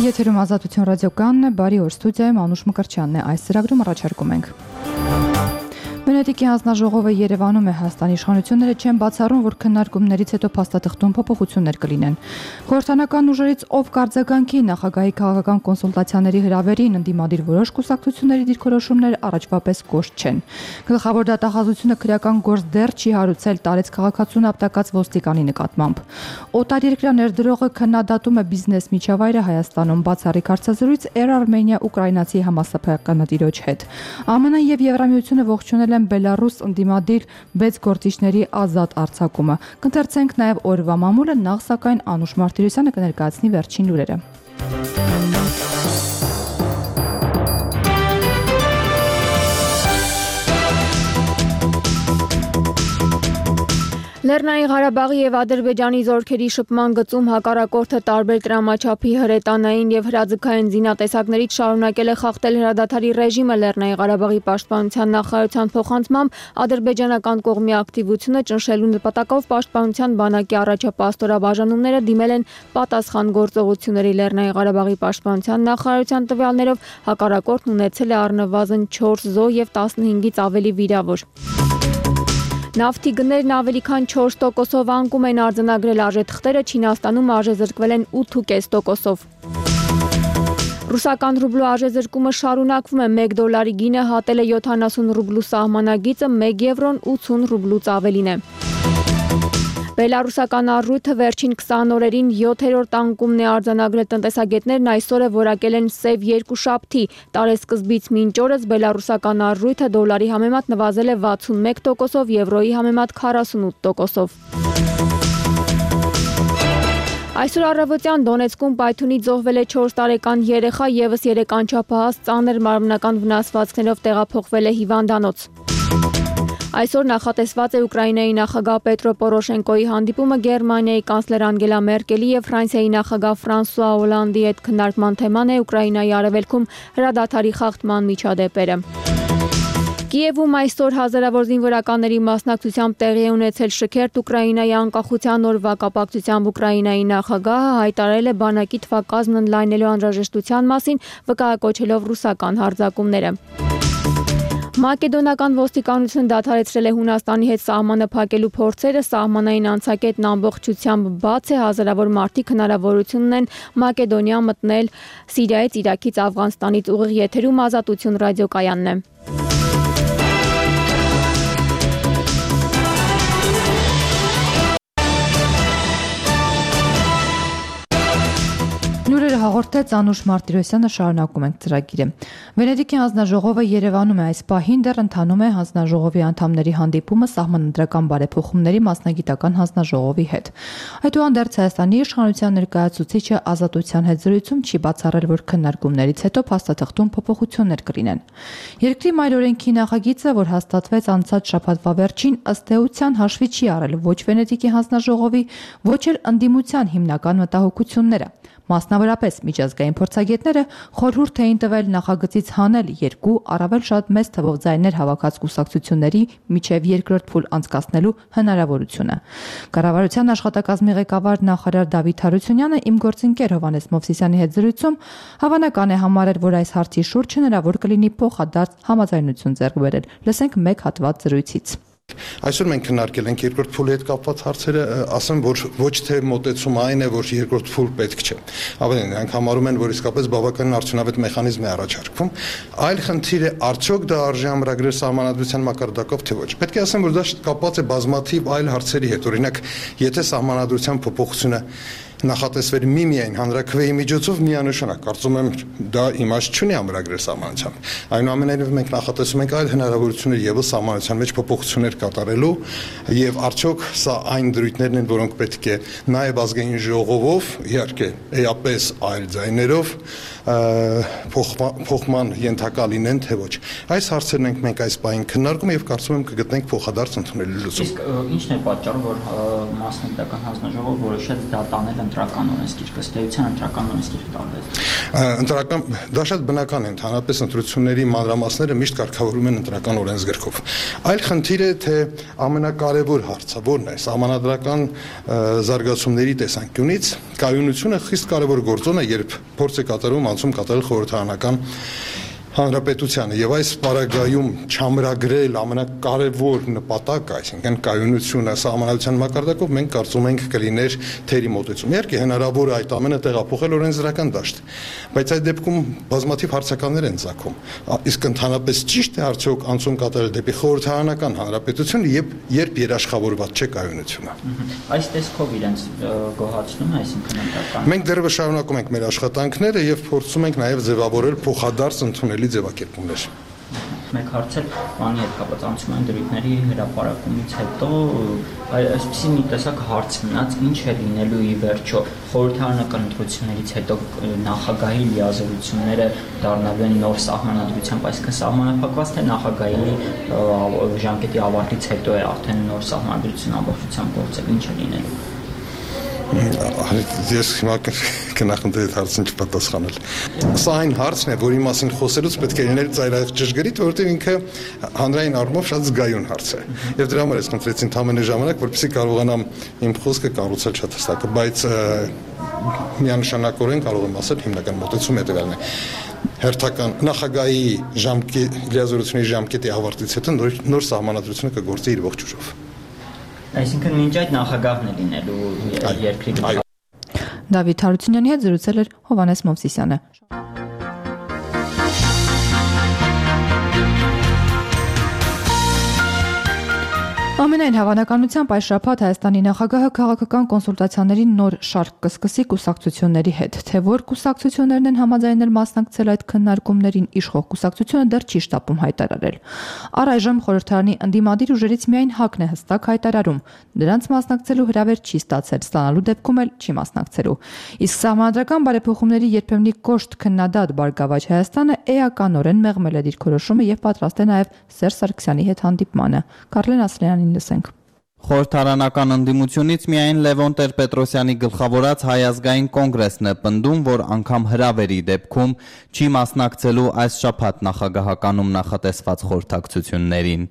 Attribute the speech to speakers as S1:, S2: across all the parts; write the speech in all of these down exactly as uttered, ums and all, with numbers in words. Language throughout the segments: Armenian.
S1: Եթերում Ազատություն ռադիոկայանն է, բարի օր, ստուդիայում Անուշ Մկրտչյանն է, այս ծրագրում առաջարկում ենք. Վենետիկի հանձնաժողովը Երևանում է, Հայաստանի իշխանությունները չեն բացառում, որ քննարկումներից հետո փաստաթղթում փոփոխություններ կլինեն։ Խորհրդանական ուժերից ով կարձագանքի նախագահի քաղաքական կոնսուլտացիաների հրավերին ընդդիմադիր որոշ կուսակցությունների դիրքորոշումներ առաջվա պես կոշտ չեն։ Գլխավոր դատախազությունը քրեական գործ դեռ չի հարուցել տարեց քաղաքացուն ապտակած ոստիկանի նկատմամբ։ Օտարերկրյա ներդրողը քննադատում է բիզնես միջավայրը Հայաստանում, բացառիկ հարցազրույց Air Armenia-ուկրաինացի համասփականատիրոջ հետ։ ԱՄՆ-ն եւ Եվրամիությունը ողջունել են Բելարուս ընդդիմադիր բեց գործիչների ազատ արձակումը։ Կընթերցենք նաև օրվա մամուլը, նախ սակայն Անուշ Մարտիրոսյանը կներկայացնի վերջին լուրերը։
S2: Լեռնային Ղարաբաղի եւ Ադրբեջանի զորքերի շփման գծում հակառակորդը տարբեր տրամաչափի հրետանային եւ հրաձգային զինատեսակներից շարունակել է խախտել հրադադարի ռեժիմը։ Լեռնային Ղարաբաղի պաշտպանության նախարարության փոխանցմամբ ադրբեջանական կողմի ակտիվությունը ճնշելու նպատակով պաշտպանության բանակի առաջապատстоրաբաժանումները դիմել են պատասխան գործողությունների։ Լեռնային Ղարաբաղի պաշտպանության նախարարության տվյալներով հակառակորդն ունեցել է առնվազն չորս զոհ եւ տասնհինգից ավելի վիրավոր։ Նավթի գներն ավելի քան չորս տոկոսով անկում են արձանագրել արժեթղթերը, Չինաստանում արժեզրկվել են ութ կόμμα պենս տոկոսով։ Ռուսական ռուբլու արժեզրկումը շարունակվում է, մեկ դոլարի գինը հատել է յոթանասուն ռուբլու սահմանագիծը, մեկ եվրոն ութուն ռուբլուց ավելին է։ Բելարուսական առույթը վերջին քսան օրերին յոթերորդ անկումն է արձանագրել, տնտեսագետներն այսօր է որակել են սև երկուշաբթի, տարեսկզբից մինչ օրս բելարուսական առույթը դոլարի համեմատ նվազել է վաթսունմեկ տոկոսով, եվրոյի համեմատ քառասունութ տոկոսով։ Այսօր առավոտյան Դոնեցկում պայթյունից զոհվել է չորս տարեկան երեխա, եւս երեք անչափահաս ծանր մարմնական վնասվածքներով տեղափոխվել է հիվանդանոց։ Այսօր նախատեսված է Ուկրաինայի նախագահ Պետրո Պորոշենկոյի հանդիպումը Գերմանիայի կանցլեր Անգելա Մերկելի եւ Ֆրանսիայի նախագահ Ֆրանսուଆ Օլանդի հետ քննարկման թեման է Ուկրաինայի արևելքում հրադադարի խախտման միջադեպերը։ Կիևում այսօր հազարավոր զինվորականների մասնակցությամբ տեղի է ունեցել շքերթ Ուկրաինայի անկախության օրվա կապակցությամբ Ուկրաինայի նախագահը հայտարարել է բանակի թվակազմն ընդլայնելու անհրաժեշտության մասին, վկայակոչելով ռուսական հարձակումները։ Մակեդոնական ոստիկանությունը դադարեցրել է Հունաստանի հետ սահմանը փակելու փորձերը, սահմանային անցակետն ամբողջությամբ բաց է, հազարավոր մարդիկ հնարավորություն ունեն Մակեդոնիա մտնել Սիրիայից, Իրաքից, Աֆղանստանից, ուղիղ եթերում Ազատություն ռադիոկայանն է։
S1: Լուրերը հաղորդեց Անուշ Մարտիրոսյանը, շարունակում ենք ծրագիրը։ Վենետիկի հանձնաժողովը Երևանում է, այս պահին դեռ ընթանում է հանձնաժողովի անդամների հանդիպումը սահմանադրական բարեփոխումների մասնագիտական հանձնաժողովի հետ։ Այդուհանդերձ Հայաստանի իշխանության ներկայացուցիչը Ազատության հետ զրույցում չի բացառել, որ քննարկումներից հետո փաստաթղթում փոփոխություններ կլինեն։ Երկրի մայր օրենքի նախագիծը, որ հաստատվեց անցած շաբաթվա վերջին, ըստ էության հաշվի չի առել ոչ Վենետիկի հանձնաժողովի, ոչ էլ ընդդիմության հիմնական մտահոգությունները։ Մասնավորապես միջազգային փորձագետները խորհուրդ էին տվել նախագծից հանել երկու առավել շատ մեծ թվով ձայներ հավաքած կուսակցությունների միջև երկրորդ փուլ անցկացնելու հնարավորությունը։ Կառավարության աշխատակազմի ղեկավար նախարար Դավիթ Հարությունյանը իմ գործընկեր Հովհաննես Մովսիսյանի հետ զրույցում հավանական է համարել, որ այս հարցի շուրջ հնարավոր կլինի փոխադարձ համաձայնություն ձեռք բերել։ Լսենք մեկ հատված զրույցից։
S3: Այսօր մենք քննարկել ենք երկրորդ փուլի հետ կապված հարցերը, ասեմ, որ ոչ թե մոտեցումը այն է, որ երկրորդ փուլ պետք չէ։ Ավելին, նրանք համարում են, որ իսկապես բավականին արդյունավետ մեխանիզմ է առաջարկվում։ Այլ խնդիր է, արդյոք դա արժի ամրագրել սահմանադրության մակարդակով, թե ոչ։ Պետք է ասեմ, որ դա կապված է բազմաթիվ այլ հարցերի հետ։ Օրինակ, եթե սահմանադրության փոփոխությունը նախատեսվեր միմիայն հանրաքվեի միջոցով միանշանակ, կարծում եմ դա իմաստ չունի ամրագրել սահմանությամբ։ Այնուամենայնիվ մենք նախատեսում ենք այլ հնարավորություններ եւս սահմանության մեջ փոփոխություններ կատարելու եւ արդյոք սա այն դրույթներն են, որոնք պետք է նաեւ ազգային ժողովով, իհարկե, էապես այլ ձայներով փոխման ենթակա լինեն, թե ոչ։ Այս հարցերն ենք մենք այս պահին քննարկում եւ կարծում եմ կգտնենք փոխադարձ ընդունելի լուծում։
S4: Իսկ ի՞նչն է պատճառը, որ մասնագիտական հանձնաժողովը որոշեց դա տանել ընտրական օրենսգիրքը, ըստ էության ընտրական օրենսգիրքը տարվեց։
S3: Ընտրական դա շատ բնական է, ընդհանրապես ընտրությունների մանրամասները միշտ կարգավորվում են ընտրական օրենսգրքով։ Այլ խնդիր է, թե ամենակարևոր հարցը որն է, սահմանադրական զարգացումների տեսանկյունից կայունությունը խիստ կարևոր գործոն է, երբ փորձ է կատարվում անցում կատարել խորհրդարանական հանրապետությանը եւ այս պարագայում չամրագրել ամենակարևոր նպատակը, այսինքն կայունությունը սահմանադրության մակարդակով մենք կարծում ենք կլիներ թերի մոտեցում։ Իհարկե հնարավոր է այդ ամենը տեղափոխել օրենսդրական դաշտ, բայց այդ դեպքում բազմաթիվ հարցականներ են ծագում։ Իսկ ընդհանրապես ճիշտ է արդյոք անցում կատարել դեպի խորհրդարանական հանրապետություն, երբ երբ երաշխավորված չէ կայունությունը։
S4: Այս տեսքով իրենց գոհացնում է, այսինքն ընտրական։
S3: Մենք դեռևս շարունակում ենք մեր աշխատանքները եւ փորձում ենք նաեւ ձևավորել փոխադարձ ընդունելի ձևակերպումներ։
S4: Մեկ հարց էլ բանի հետ կապված անցումային դրույթների հրապարակումից հետո այսպեսի մի տեսակ հարց մնաց, ինչ է լինելու ի վերջո խորհրդարանական ընտրություններից հետո նախագահի լիազորությունները դառնալու են նոր սահմանադրությամբ, այսինքն սահմանափակված թե նախագահի ժամկետի ավարտից հետո է արդեն նոր սահմանադրություն ամբողջությամբ գործել, ինչ է լինելու։
S3: Ես հիմա կնախընտրեի հարցին չպատասխանել։ Սա այն հարցն է, որի մասին խոսելուց պետք է լինել ծայրահեղ ճշգրիտ, որովհետև ինքը հանրային առումով շատ զգայուն հարց է։ Եվ դրա համար ես խնդրեցի ընդամենը ժամանակ, որպեսզի կարողանամ իմ խոսքը կառուցել շատ հստակ, բայց միանշանակորեն կարող եմ ասել հիմնական մոտեցումը հետևյալն է։ Հերթական նախագահի ժամկետի լիազորությունների ժամկետի ավարտից հետո նոր, նոր սահմանադրությունը կգործի իր ողջ ուժով։
S4: Այսինքն մինչ այդ նախագահն է լինելու երկրի։
S1: Դավիթ Հարությունյանի հետ զրուցել էր Հովհաննես Մովսիսյանը։ Ամենայն հավանականությամբ այս շաբաթ Հայաստանի նախագահը քաղաքական կոնսուլտացիաների նոր շարք կսկսի կուսակցությունների հետ, թե որ կուսակցություններն են համաձայնել մասնակցել այդ քննարկումներին, իշխող կուսակցությունը դեռ չի շտապում հայտարարել։ Առայժմ խորհրդարանի ընդդիմադիր ուժերից միայն ՀԱԿ-ն է հստակ հայտարարում, դրանց մասնակցելու հրավեր չի ստացել, ստանալու դեպքում էլ չի մասնակցելու։ Իսկ սահմանադրական բարեփոխումների երբեմնի կոշտ քննադատ Բարգավաճ Հայաստանը էականորեն մեղմել է դիրքորոշումը եւ պատրաստ է նաեւ Սերժ Սարգսյանի հետ հանդիպմանը։ Կարլեն Ասլյանին լսենք։
S5: Խորհրդարանական ընդդիմությունից միայն Լևոն Տեր-Պետրոսյանի գլխավորած Հայ ազգային կոնգրեսն է պնդում, որ անգամ հրավերի դեպքում չի մասնակցելու այս շաբաթ նախագահականում նախատեսված խորհրդակցություններին։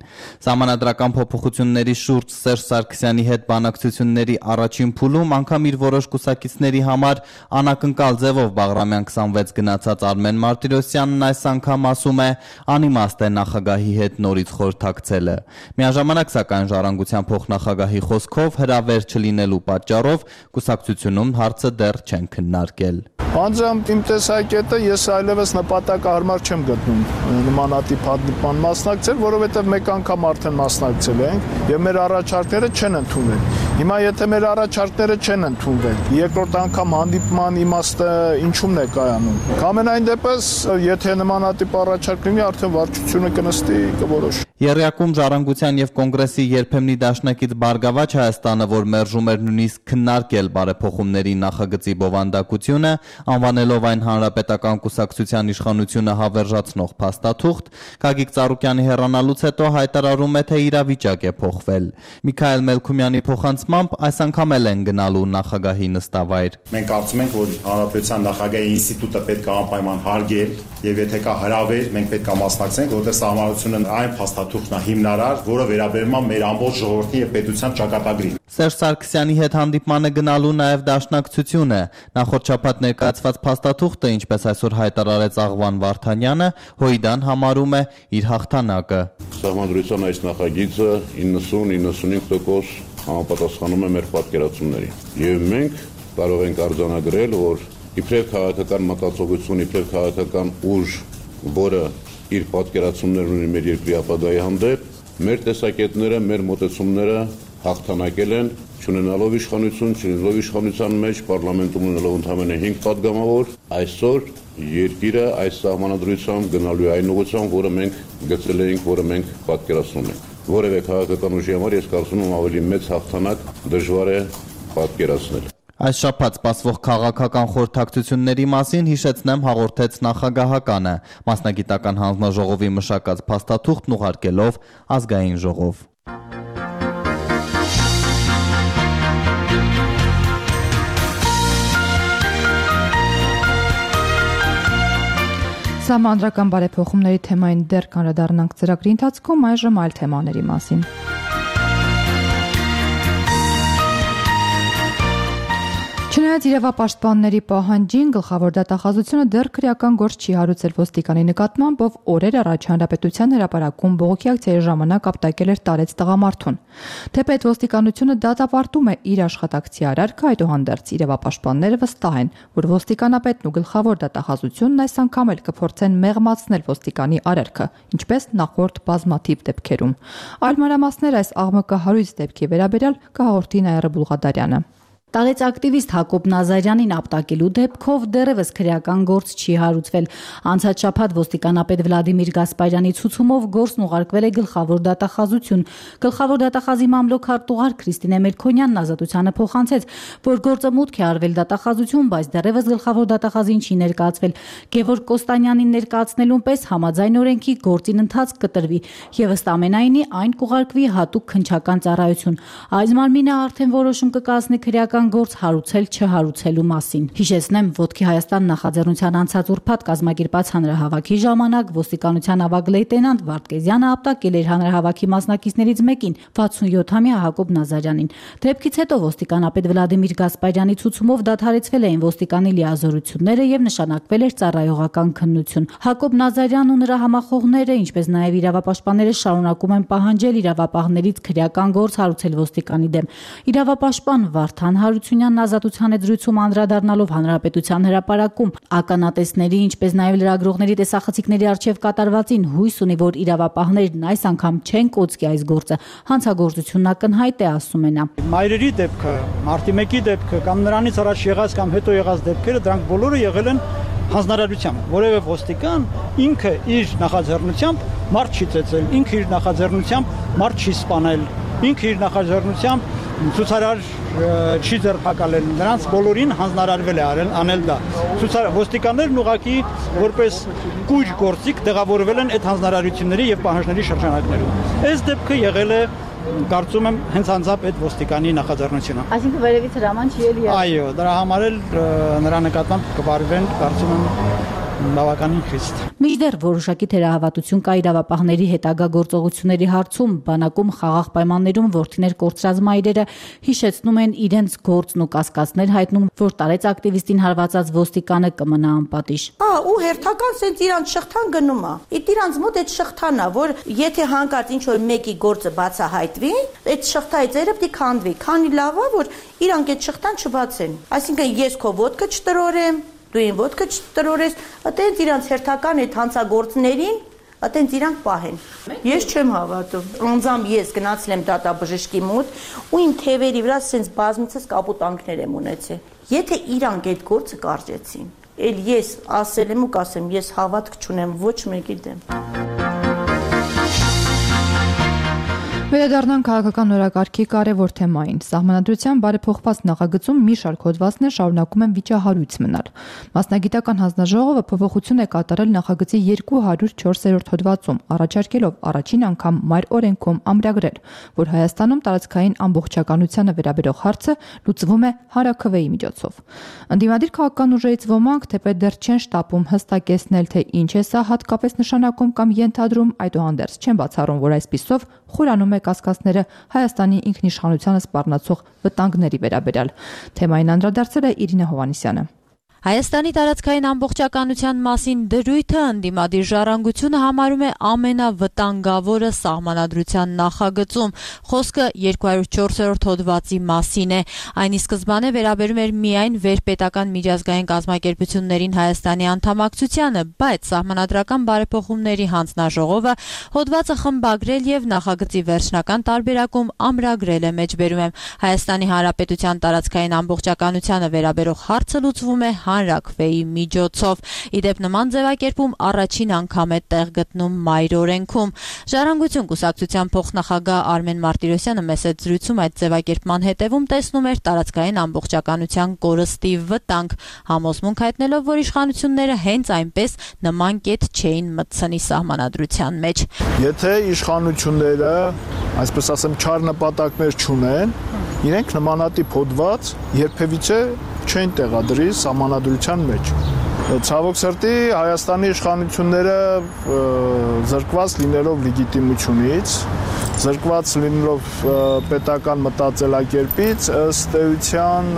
S5: Սահմանադրական փոփոխությունների շուրջ Սերժ Սարգսյանի հետ բանակցությունների առաջին փուլում անգամ իր որոշ կուսակիցների համար անակնկալ ձևով Բաղրամյան քսանվեց գնացած Արմեն Մարտիրոսյանն այս անգամ ասում է անիմաստ է նախագահի հետ նորից խորհրդակցելը։ Միաժամանակ սակայն ժառանգության փոխնախագահի խոսքով հրավեր չլինելու պատճառով կուսակցությունում հարցը դեռ չեն քննարկել։
S6: Անձամբ իմ տեսակետը ես այլևս նպատակահարմար չեմ գտնում նմանատիպ հանդիպման մասնակցել, որովհետև մեկ անգամ արդեն մասնակցել ենք եւ մեր առաջարկները չեն ընդունվել։ Հիմա եթե մեր առաջարկները չեն ընդունվել, երկրորդ անգամ հանդիպման իմաստը ինչումն է կայանում։ Ամենայն դեպս, եթե նմանատիպ առաջարկ լինի, արդեն վարչությունը կնստի կորոշի։
S5: Եռյակում ժառանգության եւ կոնգրեսի երբեմնի դաշնակից Բարգավաճ Հայաստանը, որ մերժում էր նույնիսկ քննարկել բարեփոխումների նախագծի բովանդակությունը, անվանելով այն հանրապետական կուսակցության իշխանությունը հավերժացնող փաստաթուղթ, Գագիկ Ծառուկյանի հեռանալուց հետո հայտարարում է, թե իրավիճակ է փոխվել։ Միքայել Մելքումյանի փոխանցմամբ այս անգամ էլ են գնալու նախագահի նստավայր։
S7: Մենք կարծում ենք, որ հանրապետության նախագահի ինստիտուտը պետք է անպայման հարգել եւ եթե կա հրավեր, մենք պետք է մասնակցենք, որտեղ սահմանությունը այն փաստաթուղթն է հիմնարար, որը վերաբերում է մեր ամբողջ ժողովրդի եւ պետության ճակատագրին։
S5: Սերժ Սարգսյանի հետ հանդիպմանը գնալու նաև դաշնակցությունը։ Նախորդ շաբաթ ներկայացված փաստաթուղթը, ինչպես այսօր հայտարարեց Աղվան Վարդանյանը, Հույդան համարում է իր հաղթանակը։
S8: Սահմանադրության այս նախագիծը իննսուն իննսունհինգ տոկոս համապատասխանում է մեր պատկերացումներին։ Եվ մենք կարող ենք արձանագրել, որ իբրև քաղաքական մտածողություն, իբրև քաղաքական ուժ, որը իր պատկերացումներն ունի մեր երկրի ապագայի հանդեպ, մեր տեսակետները, մեր մոտեցումները հաղթանակել են, չունենալով իշխանություն, չունենալով իշխանության մեջ, պարլամենտում ունենալով ընդամենը հինգ պատգամավոր, այսօր երկիրը այս սահմանադրությամբ գնալու է այն ուղղությամբ, որը մենք գծել էինք, որը մենք պատկերացնում ենք։ Որևէ քաղաքական ուժի համար ես կարծում եմ ավելի մեծ հաղթանակ դժվար է պատկերացնել։
S5: Այս շաբաթ սպասվող քաղաքական խորհրդակցությունների մասին հիշեցնեմ հաղորդեց նախագահականը, մասնագիտական հանձնաժողովի մշակած փաստաթուղթն ուղարկելով ազգային ժողով։
S1: Սահմանադրական բարեփոխումների թեմային դեռ կանդրադառնանք ծրագրի ընթացքում, այժմ այլ թեմաների մասին։ Չնայած իրավապաշտպանների պահանջին, գլխավոր դատախազությունը դեռ քրեական գործ չի հարուցել ոստիկանի նկատմամբ, ով օրեր առաջ Հանրապետության հրապարակում բողոքի ակցիայի ժամանակ ապտակել էր տարեց տղամարդուն։ Թեպետ ոստիկանությունը դատապարտում է իր աշխատակցի արարքը, այդուհանդերձ իրավապաշտպանները վստահ են, որ ոստիկանապետն ու գլխավոր դատախազությունն այս անգամ էլ կփորձեն մեղմացնել ոստիկանի արարքը, ինչպես նախորդ բազմաթիվ դեպքերում։ Այլ մանրամասներ այս աղմկահարույց դեպքի վերաբերյալ կհաղորդի Նաիրա Բուլղադարյանը։
S9: Տարեց ակտիվիստ Հակոբ Նազարյանին ապտակելու դեպքով դեռևս քրեական գործ չի հարուցվել։ Անցած շաբաթ ոստիկանապետ Վլադիմիր Գասպարյանի ցուցումով գործն ուղարկվել է գլխավոր դատախազություն։ Գլխավոր դատախազի մամլոք-արտուղար Քրիստինե Մելքոնյանն ազատությանը փոխանցեց, որ գործը մուտք է արվել դատախազություն, բայց դեռևս գլխավոր դատախազին չի ներկայացվել։ Գևորգ Կոստանյանին ներկայացնելուն պես համաձայն օրենքի գործին ընթացք կտրվի եւ ըստ ամենայնի այն կուղարկվի հատուկ քննչական ծառայություն։ Այս մարմինը արդեն որոշում կկայացնի քրեական գործ հարուցել չհարուցելու մասին։ Հիշեցնեմ, Ոտքի Հայաստան նախաձեռնության անցած ուրբաթ կազմակերպած հանրահավաքի ժամանակ ոստիկանության ավագ լեյտենանտ Վարդգեզյանը ապտակել էր հանրահավաքի մասնակիցներից մեկին, վաթսունյոթամյա Հակոբ Նազարյանին։ Դեպքից հետո ոստիկանապետ Վլադիմիր Գասպարյանի ցուցումով դադարեցվել էին ոստիկանի լիազորությունները եւ նշանակվել էր ծառայողական քննություն։ Հակոբ Նազարյանն ու նրա համախոհները, ինչպես նաեւ իրավապաշտպանները շարունակում են պահանջել իրավապահներից քրեական գործ հարուցել ոստիկանի դեմ։ Իրավապաշտպան Վարդան Հարությունյանն ազատության հետ զրույցում անդրադառնալով Հանրապետության հրապարակում ականատեսների, ինչպես նաև լրագրողների տեսախցիկների առջև կատարվածին հույս ունի, որ իրավապահներն այս անգամ չեն կոծկի այս գործը։ Հանցագործությունն ակնհայտ է, ասում է նա։
S10: Մայրերի դեպքը, մարտի մեկի դեպքը կամ նրանից առաջ եղած կամ հետո եղած դեպքերը, դրանք բոլորը եղել են հանձնարարությամբ, որևէ ոստիկան ինքը իր նախաձեռնությամբ մարդ չի ծեծել, ինքը իր նախաձեռնությամբ մարդ չի սպանել, ինքը իր նախաձեռնությամբ ցուցարար չի ձերբակալել, նրանց բոլորին հանձնարարվել է արել անել դա։ Ոստիկաններն ուղղակի որպես կույր գործիք տեղավորվել են այդ հանձնարարությունների եւ պահանջների շրջանակներում։ Այս դեպքը եղել է, կարծում եմ, հենց անձամբ այդ ոստիկանի նախաձեռնությունը։
S9: Այսինքն վերևից հրաման չի ելի։
S10: Այո, դրա համար էլ նրա նկատմամբ կվարվեն, կարծում եմ, բավականին խիստ։
S9: Մինչդեռ որոշակի թերահավատություն կա իրավապահների հետագա գործողությունների հարցում, բանակում խաղաղ պայմաններում որդիներ կորցրած մայրերը հիշեցնում են իրենց գործն ու կասկածներ հայտնում, որ տարեց ակտիվիստին հարվածած ոստիկանը կմնա անպատիժ։
S11: Հա, ու հերթական սենց իրանց շղթան գնում է։ Իդ իրանց մոտ այդ շղթան է, որ եթե հանկարծ ինչ որ մեկի գործը բացահայտվի, այդ շղթայի ծերը պիտի քանդվի։ Քանի լավ է, որ իրանք այդ շղթան չբացեն։ Այսինքն ես քո ոտքը չտրորեմ, դու ին ոտքը չտրորես, այտենց իրանց հերթական այդ հանցագործներին, այտենց իրանք պահեն։ Ես չեմ հավատում։ Անձամբ ես գնացել եմ դատաբժշկի մոտ ու իմ թևերի վրա սենց բազմիցս կապուտանքներ եմ ունեցել։ Եթե իրանք այդ գործը կարճեցին, էլ ես ասել եմ ու կասեմ, ես հավատք չունեմ ոչ մեկի դեմ։
S1: Վերադառնանք քաղաքական օրակարգի կարևոր թեմային։ Սահմանադրության բարեփոխված նախագծում մի շարք հոդվածներ շարունակում են վիճահարույց մնալ։ Մասնագիտական հանձնաժողովը փոփոխություն է կատարել նախագծի երկու հարյուր չորսերորդ հոդվածում, առաջարկելով առաջին անգամ մայր օրենքում ամրագրել, որ Հայաստանում տարածքային ամբողջականությանը վերաբերող հարցը լուծվում է հանրաքվեի միջոցով։ Ընդդիմադիր քաղաքական ուժերից ոմանք թեպետ դեռ չեն շտապում հստակեցնել, թե ինչ է սա հատկապես նշանակում կամ ենթադրում, այդուհանդերձ չեն բացառում, որ այսպիսով խորանում է կասկածները Հայաստանի ինքնիշխանությանը սպառնացող վտանգների վերաբերյալ։ Թեմային անդրադարձել է Իրինա Հովհաննիսյանը։
S12: Հայաստանի տարածքային ամբողջականության մասին դրույթը ընդդիմադիր ժառանգությունը համարում է ամենավտանգավորը սահմանադրության նախագծում։ Խոսքը երկու հարյուր չորսերորդ հոդվածի մասին է։ Այն ի սկզբանե վերաբերում էր միայն վերպետական միջազգային կազմակերպություններին Հայաստանի անդամակցությանը, բայց սահմանադրական բարեփոխումների հանձնաժողովը հոդվածը խմբագրել եւ նախագծի վերջնական տարբերակում ամրագրել է մեջբերում եմ։ Հայաստանի Հանրապետության տարածքային ամբողջականությանը վերաբերող հարցը լուծվում է հանրաքվեի միջոցով։ Իդեպ նման ձևակերպում առաջին անգամ է տեղ գտնում մայր օրենքում։ Ժառանգություն կուսակցության փոխնախագահ Արմեն Մարտիրոսյանը մեծ զրույցում այդ ձևակերպման հետևում տեսնում էր տարածքային ամբողջականության կորստի վտանգ, համոզմունք հայտնելով, որ իշխանությունները հենց այնպես նման կետ չէին մտցնի սահմանադրության մեջ։
S6: Եթե իշխանությունները, այսպես ասեմ, չար նպատակներ չունեն, իրենք նմանատիպ հոդված երբևիցե չեն տեղադրի սահմանադրության մեջ։ Ցավոք սրտի Հայաստանի իշխանությունները զրկված լինելով լեգիտիմությունից, զրկված լինելով պետական մտածելակերպից, ըստ էության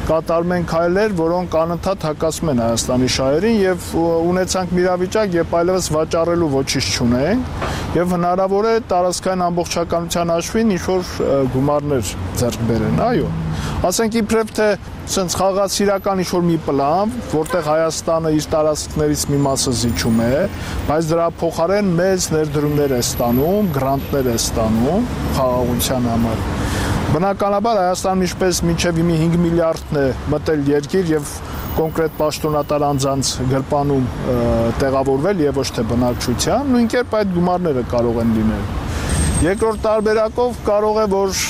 S6: կատարում են քայլեր, որոնք անընդհատ հակասում են Հայաստանի շահերին եւ ունեցանք մի իրավիճակ, երբ այլևս վաճառելու ոչինչ չունենք եւ հնարավոր է տարածքային ամբողջականության հաշվին ինչ-որ գումարներ ձեռք բերեն, այո։ Ասենք իբրև թե sense խաղացիրական ինչ-որ մի պլան, որտեղ Հայաստանը իր տարածքներից մի մասը զիջում է, բայց դրա փոխարեն մեծ ներդրումներ է ստանում, գրանտներ է ստանում խաղաղության համար։ Բնականաբար Հայաստանը ինչպես մինչև իմի հինգ միլիարդն է մտել երկիր եւ կոնկրետ պաշտոնատար անձանց գրպանում տեղավորվել եւ ոչ թե բնակչության, նույն կերպ այդ գումարները կարող են լինել։ Երկրորդ տարբերակով կարող է, որ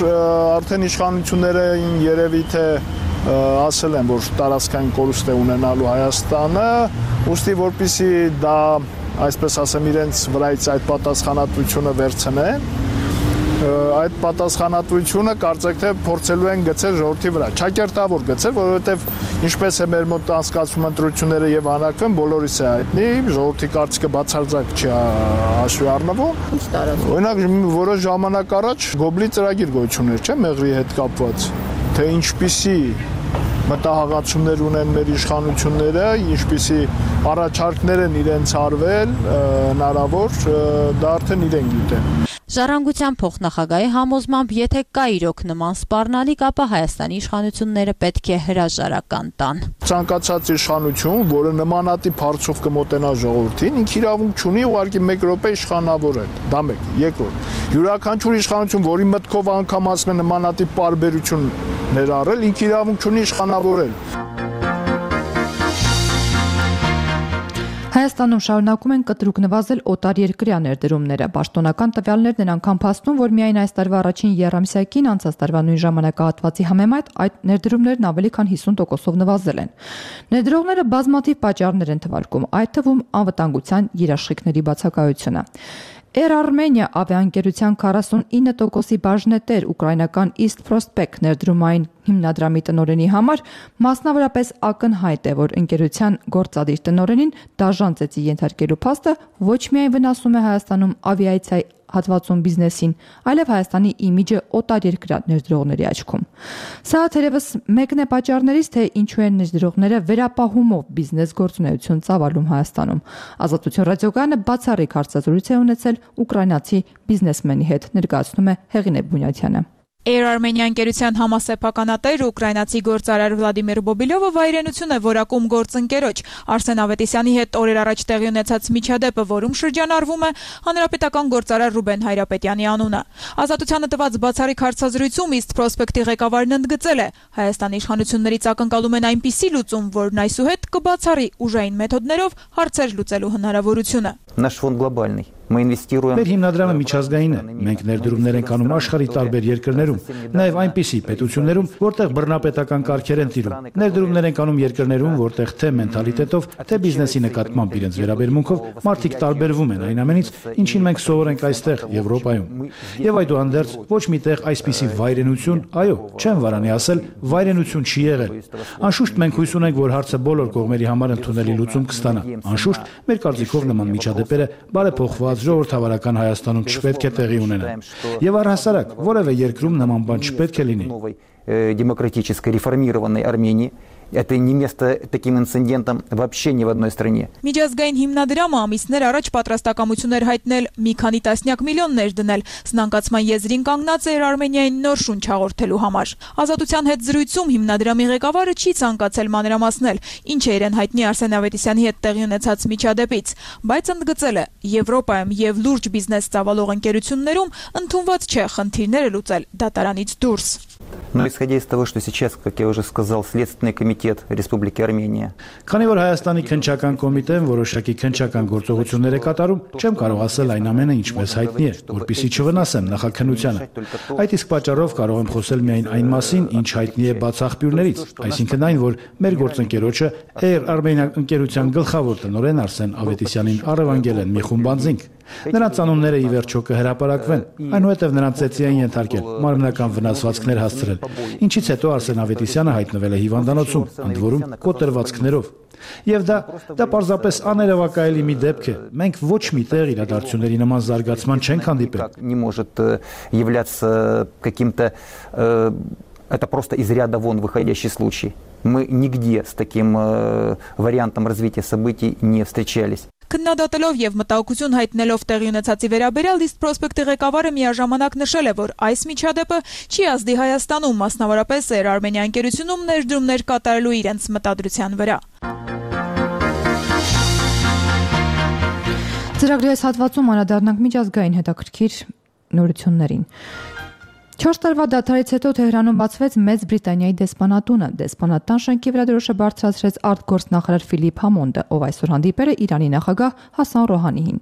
S6: արդեն իշխանությունները երևի թե ասել են, որ տարածքային կորուստ է ունենալու Հայաստանը, ուստի որպեսզի դա, այսպես ասեմ, իրենց վրայից այդ պատասխանատվությունը վերցնեն, այդ պատասխանատվությունը կարծեք թե փորձելու են գցել ժողովրդի վրա, չակերտավոր գցել, որովհետև ինչպես է մեր մոտ անցկացվում ընտրությունները եւ հանրակրվեն, բոլորիս է հայտնի, ժողովրդի կարծիքը բացարձակ չի հաշվի առնվում։ Օրինակ, որոշ ժամանակ առաջ Գոբլի ծրագիր գոյություն էր, չէ՞, Մեղրի հետ կապված, թե ինչպիսի մտահղացումներ ունեն մեր իշխանությունները, ինչպիսի առաջարկներ են իրենց արվել, հնարավոր, դա արդեն իրեն գիտեն։
S12: Ժառանգության փոխնախագահի համոզմամբ, եթե կա իրոք նման սպառնալիք, ապա Հայաստանի իշխանությունները պետք է հրաժարական տան։
S6: Ցանկացած իշխանություն, որը նմանատիպ հարցով կմոտենա ժողովրդին, ինքը իրավունք չունի ուղղակի մեկ րոպե իշխանավորել։ Դա մեկ, երկրորդ։ Յուրաքանչյուր իշխանություն, որի մտքով անգամ ասում է նմանատիպ պարբերություն ներառել, ինքը իրավունք չունի իշխանավորել։
S1: Հայաստանում շարունակում են կտրուկ նվազել օտար երկրյա ներդրումները։ Պաշտոնական տվյալներն են անգամ փաստում, որ միայն այս տարվա առաջին եռամսյակին անցած տարվա նույն ժամանակահատվածի համեմատ այդ ներդրումներն ավելի քան հիսուն տոկոսով նվազել են։ Ներդրողները բազմաթիվ պատճառներ են թվարկում, այդ թվում անվտանգության երաշխիքների բացակայությունը։ Air Armenia ավիաընկերության քառասունինը տոկոսի բաժնետեր ուկրաինական East Prospect ներդրումային հիմնադրամի տնօրենի համար մասնավորապես ակնհայտ է, որ ընկերության գործադիր տնօրենին դաժան ծեծի ենթարկելու փաստը ոչ միայն վնասում է Հայաստանում ավիացիայի հատվածում բիզնեսին, այլև Հայաստանի իմիջը օտար երկրյա ներդրողների աչքում։ Սա թերևս մեկն է պատճառներից, թե ինչու են ներդրողները վերապահումով բիզնես գործունեություն ծավալում Հայաստանում։ Ազատություն ռադիոկայանը բացառիկ հարցազրույց է ունեցել ուկրաինացի բիզնեսմենի հետ, ներկայացնում է Հեղինե Բունյաթյանը։
S13: Air Armenia ընկերության համասեփականատեր ուկրաինացի գործարար Վլադիմիր Բոբիլովը վայրենություն է որակում գործընկերոջ Արսեն Ավետիսյանի հետ օրեր առաջ տեղի ունեցած միջադեպը, որում շրջանառվում է հանրապետական գործարար Ռուբեն Հայրապետյանի անունը։ Ազատությանը տված բացառիկ հարցազրույցում East Prospect-ի ղեկավարն ընդգծել է, Հայաստանի իշխանություններից ակնկալում են այնպիսի լուծում, որն այսուհետ կբացառի ուժային մեթոդներով հարցեր լուծելու հնարավորությունը։
S14: Նаш ֆոնդ գլոբալնի Մեր
S15: հիմնադրամը միջազգային է։ Մենք ներդրումներ ենք անում աշխարհի տարբեր երկրներում, նաև այնպիսի պետություններում, որտեղ բռնապետական կարգեր են տիրում։ Ներդրումներ ենք անում երկրներում, որտեղ թե մենթալիտետով, թե բիզնեսի նկատմամբ իրենց վերաբերմունքով մարդիկ տարբերվում են այն ամենից, ինչին մենք սովոր ենք այստեղ Եվրոպայում։ Եվ այդուհանդերձ ոչ միտեղ այսպիսի վայրենություն, այո, չեմ վարանի ասել, վայրենություն չի եղել։ Անշուշտ մենք հույս ունենք, որ հարցը բոլոր կողմերի համար ընդունելի լուծում կստանա։ Անշուշտ մեր կարծիքով նման միջադեպերը բարեփոխված ժողովրդավարական Հայաստանում չպետք է տեղի ունենան։ Եվ առհասարակ որևէ երկրում նման բան չպետք է լինի։
S14: Демократической реформированной Армении. Это не место таким инцидентам вообще ни в одной стране.
S13: Միջազգային հիմնադրամը ամիսներ առաջ պատրաստակամություններ հայտնել մի քանի տասնյակ միլիոններ դնել սնանկացման եզրին կանգնած էր Արմենիային նոր շունչ հաղորդելու համար։ Ազատության հետ զրույցում հիմնադրամի ղեկավարը չի ցանկացել մանրամասնել, ինչ է իրեն հայտնի Արսեն Ավետիսյանի հետ տեղի ունեցած միջադեպից, բայց ընդգծել է, Եվրոպայում եւ լուրջ բիզնես ծավալող ընկերություններում ընդունված չէ խնդիրները լուծել դատարանից դուրս։
S14: Но исходя из того, что сейчас, как я уже сказал, Следственный комитет суверенитет Республики Армения.
S15: Քանի որ Հայաստանի քննչական կոմիտեն որոշակի քննչական գործողություններ է կատարում, չեմ կարող ասել այն ամենը ինչպես հայտնի է, որպեսզի չվնասեմ նախաքննությանը։ Այդ իսկ պատճառով կարող եմ խոսել միայն այն մասին, ինչ հայտնի է բաց աղբյուրներից, այսինքն այն, որ մեր գործընկերոջը Air Armenia ընկերության գլխավոր տնօրեն Արսեն Ավետիսյանին առևանգել են մի խումբ անձինք։ Նրանց անունները ի վերջո կհրապարակվեն, այնուհետև նրանց ծեծի են ենթարկել, մարմնական վնասվածքներ հասցրել, ինչից հետո Արսեն Ավետիսյանը հայտնվել է հիվանդանոցում, ընդ որում կոտրվածքներով։ Եվ դա դա պարզապես աներևակայելի մի դեպք է։ Մենք ոչ մի տեղ իրադարձությունների նման զարգացման չենք հանդիպել։
S14: Не может являться каким-то это просто из ряда вон выходящий случай. Мы нигде с таким вариантом развития событий не встречались.
S13: Քննադատելով եւ մտահոգություն հայտնելով տեղի ունեցածի վերաբերյալ East Prospect-ի ղեկավարը միաժամանակ նշել է, որ այս միջադեպը չի ազդի Հայաստանում, մասնավորապես Air Armenia ընկերությունում ներդրումներ կատարելու իրենց մտադրության վրա։
S1: Ծրագրի այս հատվածում անդրադառնանք միջազգային հետաքրքիր նորություններին։ Չորս տարվա դադարից հետո Թեհրանում բացվեց Մեծ Բրիտանիայի դեսպանատունը։ Դեսպանատան շենքի վրա դրոշը բարձրացրեց արտգործնախարար Ֆիլիպ Համոնդը, ով այսօր հանդիպել է Իրանի նախագահ Հասան Ռոհանիին։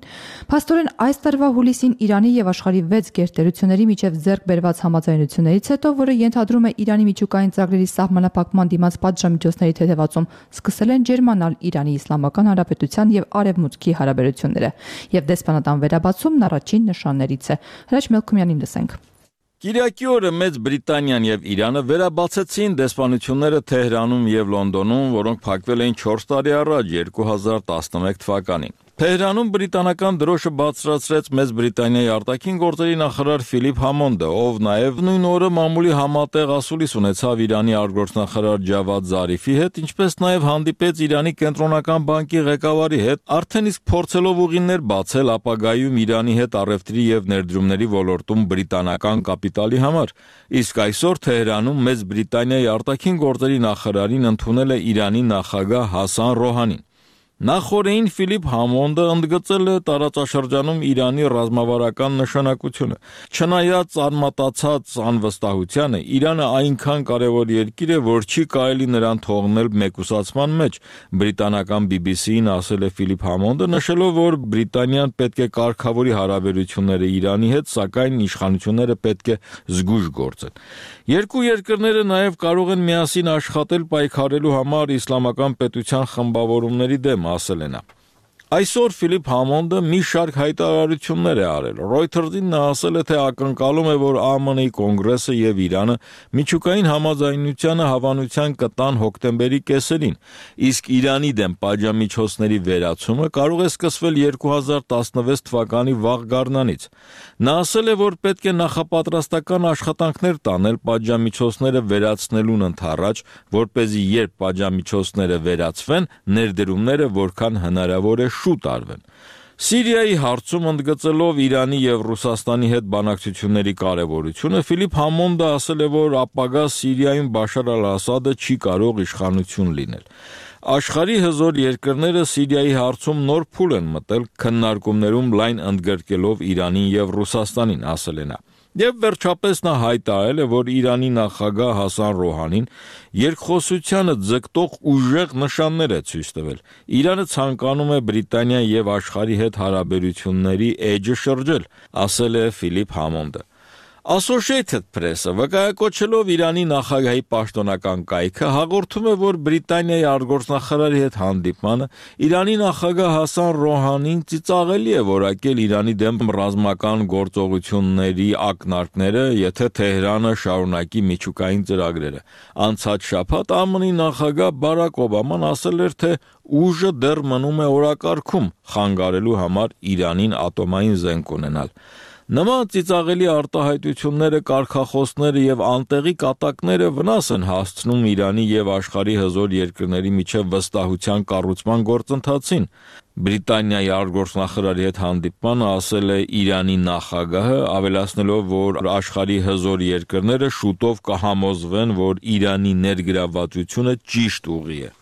S1: Փաստորեն այս տարվա հուլիսին Իրանի եւ աշխարհի վեց գերտերությունների միջև ձեռք բերված համաձայնություններից հետո, որը ենթադրում է Իրանի միջուկային ծրագրերի սահմանափակման դիմաց պատժամիջոցների թեթևացում, սկսել են ջերմանալ Իրանի Իսլամական Հանրապետության եւ Արևմուտքի հարաբերությունները, եւ դեսպանատան վերաբացումն առաջին նշաններից է։ Հրաչ Մելքումյանին լսենք։
S16: Կիրակի օրը Մեծ Բրիտանիան եւ Իրանը վերաբացեցին դեսպանությունները Թեհրանում եւ Լոնդոնում, որոնք փակվել էին չորս տարի առաջ երկու հազար տասնմեկ թվականին։ Թեհրանում բրիտանական դրոշը բարձրացրեց Մեծ Բրիտանիայի արտաքին գործերի նախարար Ֆիլիպ Համոնդը, ով նաեւ նույն օրը մամուլի համատեղ ասուլիս ունեցավ Իրանի արտգործնախարար Ջավադ Զարիֆի հետ, ինչպես նաեւ հանդիպեց Իրանի կենտրոնական բանկի ղեկավարի հետ, արդեն իսկ փորձելով ուղիներ բացել ապագայում Իրանի հետ առևտրի եւ ներդրումների ոլորտում բրիտանական կապիտալի համար։ Իսկ այսօր Թեհրանում Մեծ Բրիտանիայի արտաքին գործերի նախարարին ընդունել է Իրանի նախագահ Հասան Ռոհանին։ Նախորդին Ֆիլիպ Համոնդը ընդգծել է տարածաշրջանում Իրանի ռազմավարական նշանակությունը։ Չնայած արմատացած անվստահությանը, Իրանը այնքան կարևոր երկիր է, որ չի կարելի նրան թողնել մեկուսացման մեջ։ Բրիտանական B B C-ին ասել է Ֆիլիպ Համոնդը, նշելով, որ Բրիտանիան պետք է կարգավորի հարաբերությունները Իրանի հետ, սակայն իշխանությունները պետք է զգույշ գործեն։ Երկու երկրները նաև կարող են միասին աշխատել պայքարելու համար իսլամական պետության խմբավորումների դեմ, ասել է նա։ Այսօր Ֆիլիպ Համոնդը մի շարք հայտարարություններ է արել։ Reuters-ին նա ասել է, թե ակնկալում է, որ A M N-ի կոնգրեսը եւ Իրանը միջուկային համաձայնությանը հավանության կտան հոկտեմբերի կեսերին, իսկ Իրանի դեմ պատժամիջոցների վերացումը կարող է սկսվել երկու հազար տասնվեց թվականի վաղ գարնանից։ Նա ասել է, որ պետք է նախապատրաստական աշխատանքներ տանել պատժամիջոցները վերացնելուն ընդառաջ, որպեսզի երբ պատժամիջոցները վերացվեն, ներդրումները որքան հնարավոր է շուտ արվեն։ Սիրիայի հարցում ընդգծելով Իրանի եւ Ռուսաստանի հետ բանակցությունների կարևորությունը, Ֆիլիպ Համոնդը ասել է, որ ապագա Սիրիայում Բաշար al-Ասադը չի կարող իշխանություն լինել։ Աշխարհի հզոր երկրները Սիրիայի հարցում նոր փուլ են մտել, քննարկումներում լայն ընդգրկելով Իրանին եւ Ռուսաստանին, ասել է նա։ Եվ վերջապես նա հայտարարել է, որ Իրանի նախագահ Հասան Ռոհանին երկխոսությանը ձգտող ուժեղ նշաններ է ցույց տվել։ Իրանը ցանկանում է Բրիտանիայի եւ աշխարհի հետ հարաբերությունների էջը շրջել, ասել է Ֆիլիպ Համոնդը։ Associated Press-ը վկայակոչելով Իրանի նախագահի պաշտոնական կայքը հաղորդում է, որ Բրիտանիայի արտգործնախարարի հետ հանդիպմանը Իրանի նախագահ Հասան Ռոհանին ծիծաղելի է որակել Իրանի դեմ ռազմական գործողությունների ակնարկները, եթե Թեհրանը շարունակի միջուկային ծրագրերը։ Անցած շաբաթ A M N-ի նախագահ Բարակ Օբաման ասել էր, թե ուժը դեռ մնում է օրակարգում խանգարելու համար Իրանին ատոմային զենք ունենալ։ Նման ծիծաղելի արտահայտությունները, կարգախոսները եւ անտեղի կատակները վնաս են հասցնում Իրանի եւ աշխարհի հզոր երկրների միջև վստահության կառուցման գործընթացին։ Բրիտանիայի արտգործնախարարի հետ հանդիպմանը ասել է Իրանի նախագահը, ավելացնելով, որ աշխարհի հզոր երկրները շուտով կհամոզվեն, որ Իրանի ներգրավվածությունը ճիշտ ուղի է։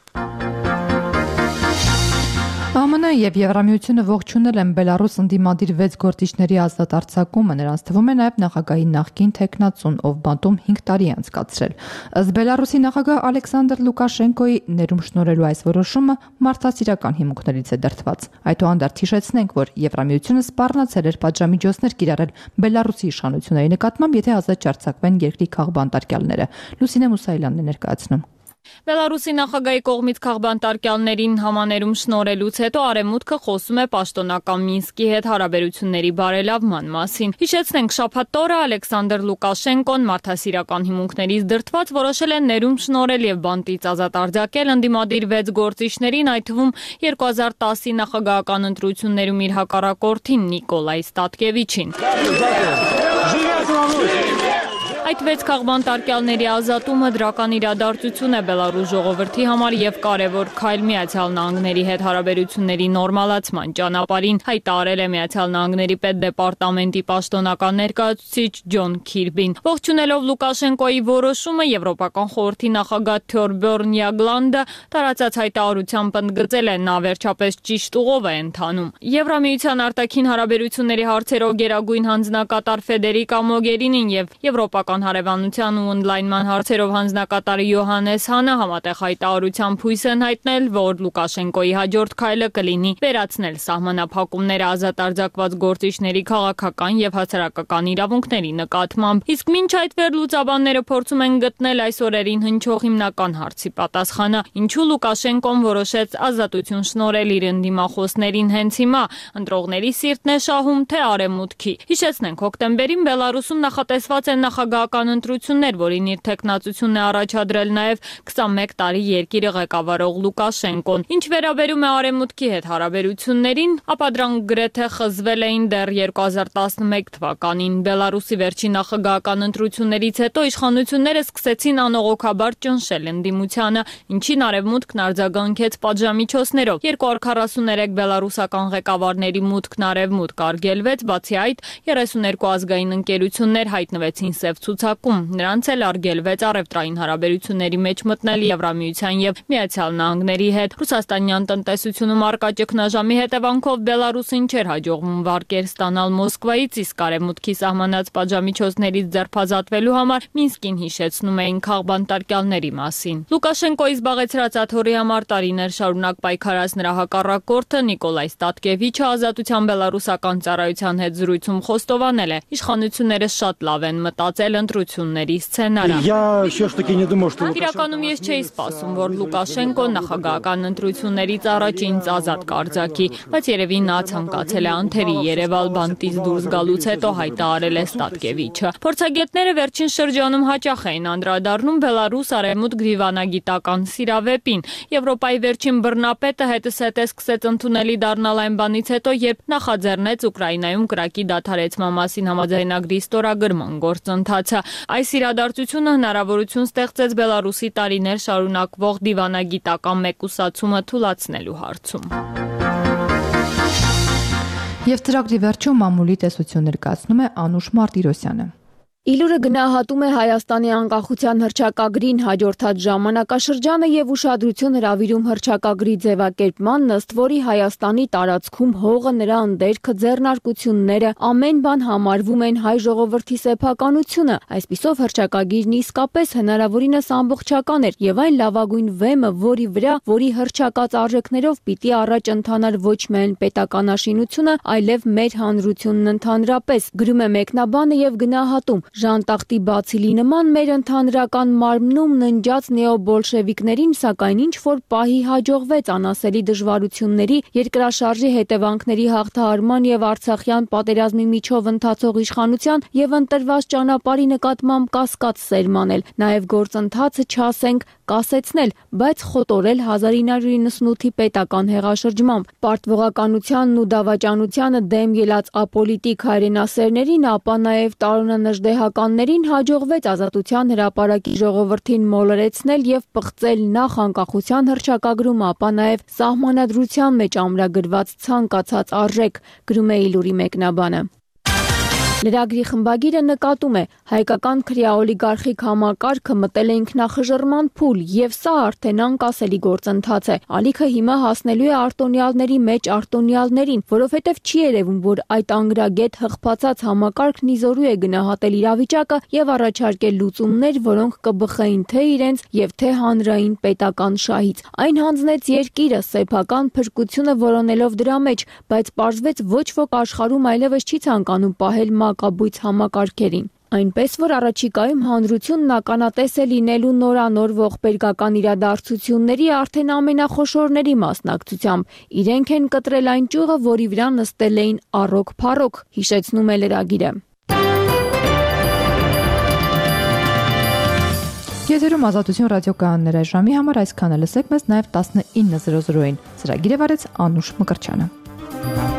S1: A M N-ը եւ Եվրամիությունը ողջունել են Բելարուս ընդդիմադիր վեց գործիչների ազատ արձակումը, նրանց թվում է նաեւ նախագահի նախկին թեկնածուն, ով բանտում հինգ տարի է անցկացրել։ Ըստ Բելարուսի նախագահ Ալեքսանդր Լուկաշենկոյի ներում շնորհելու այս որոշումը մարդասիրական հիմունքներից է դրդված։ Այդուհանդերձ հիշեցնենք, որ Եվրամիությունը սպառնացել էր պատժամիջոցներ կիրառել Բելարուսի իշխանությունների նկատմամբ, եթե ազատ չարձակվեն երկրի քաղբանտարկյալները։ Լուսինե Մուսայելյանն է ներկայացնում։
S2: Բելարուսի նախագահի կողմից քաղբանտարկյալներին համաներում շնորհելուց հետո Արևմուտքը խոսում է պաշտոնական Մինսկի հետ հարաբերությունների բարելավման մասին։ Հիշեցնենք, շաբաթ օրը Ալեքսանդր Լուկաշենկոն մարդասիրական հիմունքներից դրդված որոշել է ներում շնորհել եւ բանտից ազատ արձակել ընդդիմադիր վեց գործիչներին, այդ թվում երկու հազար տասի նախագահական ընտրություններում իր հակառակորդին Նիկոլայ Ստատկևիչին։ Այդ վեց քաղբանտարկյալների ազատումը դրական իրադարձություն է Բելարուս ժողովրդի համար եւ կարեւոր քայլ Միացյալ Նահանգների հետ հարաբերությունների նորմալացման ճանապարհին, հայտարարել է Միացյալ Նահանգների պետդեպարտամենտի պաշտոնական ներկայացուցիչ Ջոն Քիրբին։ Ողջունելով Լուկաշենկոյի որոշումը, Եվրոպական խորհրդի նախագահ Թյորբյորն Յագլանդը տարածած հայտարարությամբ ընդգծել է, նա վերջապես ճիշտ ուղով է ընթանում։ Եվրամիության արտաքին հարաբերությունների հարցերով գերագույն հանձնակատար Ֆեդերիկա Մոգերինին եւ Եվրոպական հարևանության ու օնլայնման հարցերով հանձնակատար Յոհանես Հանը համատեղ հայտարարությամբ հույս են հայտնել, որ Լուկաշենկոյի հաջորդ քայլը կլինի վերացնել սահմանափակումները ազատ արձակված գործիչների քաղաքական եւ հասարակական իրավունքների նկատմամբ։ Իսկ մինչ այդ վերլուծաբանները փորձում են գտնել այս օրերին հնչող հիմնական հարցի պատասխանը, ինչու Լուկաշենկոն որոշեց ազատություն շնորհել իր ընդդիմախոսներին հենց հիմա, ընտրողների սիրտն է շահում, թե արևմուտքի։ Հիշեցնենք, հոկտեմբերին Բելարուսում նախատեսված են նախագահական ընտրություններ, որին իր թեկնածությունն է առաջադրել նաև քսանմեկ տարի երկիրը ղեկավարող Լուկաշենկոն։ Ինչ վերաբերում է արևմուտքի հետ հարաբերություններին, ապա դրանք գրեթե խզվել էին դեռ երկու հազար տասնմեկ թվականին։ Բելարուսի վերջին նախագահական ընտրություններից հետո իշխանությունները սկսեցին անողոքաբար ճնշել ընդդիմությանը, ինչին արևմուտքն արձագանքեց պատժամիջոցներով։ երկու հազար քառասուներեք բելարուսական ղեկավարների մուտքն արևմուտք արգելվեց, բացի այդ երեսուներկու ազգային ընկերություններ հայտնվեցին սև ցուցակում, նրանց էլ արգելվեց առևտրային հարաբերությունների մեջ մտնել Եվրամիության եւ Միացյալ Նահանգների հետ։ Ռուսաստանյան տնտեսությունում առկա ճգնաժամի հետևանքով Բելարուսին չէր հաջողվում վարկեր ստանալ Մոսկվայից, իսկ արևմուտքի սահմանած պատժամիջոցներից ձերբազատվելու համար Մինսկին հիշեցնում էին քաղբանտարկյալների մասին։ Լուկաշենկոյի զբաղեցրած աթոռի համար տարիներ շարունակ պայքարած նրա հակառակորդը Նիկոլայ Ստատկևիչը ազատության բելարուսական ծառայության հետ զրույցում խոստովանել է, իշխանությունները շատ լավ են մտածել ընտրությունների սցենարը։ Իրականում ես չէի սպասում, որ Լուկաշենկոն նախագահական ընտրություններից առաջ ինձ ազատ կարձակի, բայց երևի նա ցանկացել է անթերի Երևալ բանտից դուրս գալուց հետո, հայտարարել է Ստատկևիչը։ Փորձագետները վերջին շրջանում հաճախ էին անդրադառնում Բելարուս արևմուտք դիվանագիտական սիրավեպին։ Եվրոպայի վերջին բռնապետը հետզհետե սկսեց ընդունելի դառնալ այն բանից հետո, երբ նախաձեռնեց Ուկրաինայում կրակի դադարեցման մասին համաձայնագրի ստորագրման գործընթացը։ Այս իրադարձությունը հնարավորություն ստեղծեց Բելարուսի տարիներ շարունակվող դիվանագիտական մեկուսացումը թուլացնելու հարցում։
S1: Եվ ծրագրի վերջում մամուլի տեսություն ներկայացնում է Անուշ Մարտիրոսյանը։
S2: Իլուրը գնահատում է Հայաստանի անկախության հռչակագրին հաջորդած ժամանակաշրջանը եւ ուշադրություն հրավիրում հռչակագրի ձևակերպման, ըստ որի Հայաստանի տարածքում հողը, նրա ընդերքը, ձեռնարկությունները, ամեն բան համարվում են հայ ժողովրդի սեփականությունը։ Այսպիսով հռչակագիրն իսկապես հնարավորինս ամբողջական էր եւ այն լավագույն վեմը, որի վրա, որի հռչակած արժեքներով պիտի առաջ ընթանար ոչ միայն պետականաշինությունը, այլև մեր հանրությունն ընդհանրապես, գրում է մեկնաբանը եւ գնահատում. Ժանտախտի բացիլի նման մեր ընդհանրական մարմնում ննջած նեոբոլշևիկներին, սակայն ինչ-որ պահի հաջողվեց անասելի դժվարությունների, երկրաշարժի հետևանքների հաղթահարման եւ Արցախյան պատերազմի միջով ընթացող իշխանության եւ ընտրված ճանապարհի նկատմամբ կասկած սերմանել, նաեւ գործընթացը չասենք կասեցնել, բայց խոտորել հազար ինը հարյուր իննսունութի պետական հեղաշրջմամբ։ Պարտվողականությանն ու դավաճանությանը դեմ ելած ապոլիտիկ հայրենասերներին, ապա նաեւ տարոնանժդեհականներին հաջողվեց Ազատության հրապարակի ժողովրդին մոլորեցնել եւ պղծել նախ անկախության հռչակագրում, ապա նաեւ սահմանադրության մեջ ամրագրված ցանկացած արժեք, գրում է Իլուրի մեկնաբանը։ Լրագրի խմբագիրը նկատում է, հայկական քրեաօլիգարխիկ համակարգը մտել է ինքնախժռման փուլ եւ սա արդեն անկասելի գործընթաց է։ Ալիքը հիմա հասնելու է արտոնյալների մեջ արտոնյալներին, որովհետեւ չի երևում, որ այդ անգրագետ հղբացած համակարգն իզորու է գնահատել իրավիճակը եւ առաջարկել լուծումներ, որոնք կբխեին թե իրենց եւ թե հանրային պետական շահից։ Այն հանձնեց երկիրը սեփական փրկությունը որոնելով դրա մեջ, բայց պարզվեց ոչ ոք աշխարհում այլևս չի ցանկանում պահել մակաբույծ համակարգերին։ Այնպես որ առաջիկայում հանրությունն ականատես է լինելու նորանոր ողբերգական իրադարձությունների արդեն ամենախոշորների մասնակցությամբ։ Իրենք են կտրել այն ճյուղը, որի վրա նստել էին առոք-փառոք, հիշեցնում է լրագիրը։
S1: Եթերում Ազատություն ռադիոկայաններ այժմի համար այսքանը լսեք մեզ նաև տասնինը զրո զրոին։ Ծրագիրը վարեց Անուշ Մկրտչյանը։